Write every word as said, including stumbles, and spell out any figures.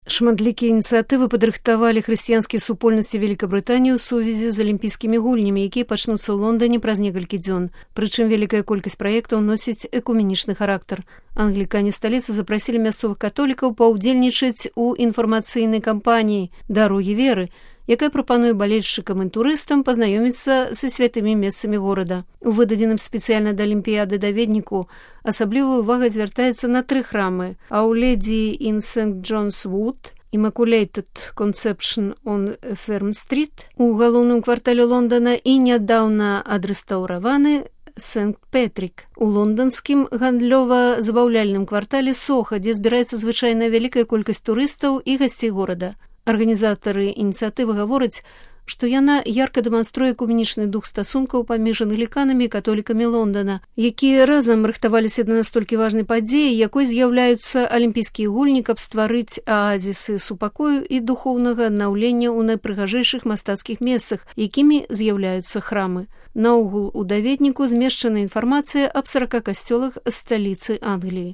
Шматлікія ініцыятывы падрыхтавалі хрысціянскія супольнасці Великабрытаніі ў сувязі з алімпійскімі гульнямі, якія пачнуцца ў Лондоне праз некалькі дзён. Прычым вялікая колькасць праектаў носіць экуменічны характар. Англікане сталіцы запрасілі мясцовых католікаў паўдзельнічаць у інфармацыйнай кампаніі «Дарогі веры», якая прапануе балельшчыкам і турыстам пазнаёміцца са святымі месцамі горада. У выдадзеным спецыяльна да Алімпіяды даведніку асаблівая ўвага звяртаецца на тры храмы: Our Lady in Saint John's Wood, Immaculate Conception on Fern Street у галоўным квартале Лондона і нядаўна адрэстаўраваны Сент Петрик у лонданскім гандлёва-забаўляльным квартале Соха, дзе збіраецца звычайна вялікая колькасць турыстаў і гасцей горада. Арганізатары ініцыятывы гавораць, што яна ярка дэманструе экуменічны дух стасункаў паміж англіканамі і католікамі Лондона, якія разам рыхтаваліся да настолькі важнай падзеі, якой з'яўляюцца алімпійскія гульні, каб стварыць аазісы супакою і духоўнага аднаўлення ў найпрыгажэйшых мастацкіх месцах, якімі з'яўляюцца храмы. Наогул у даведніку змешчана інфармацыя аб сарака касцёлах сталіцы Англіі.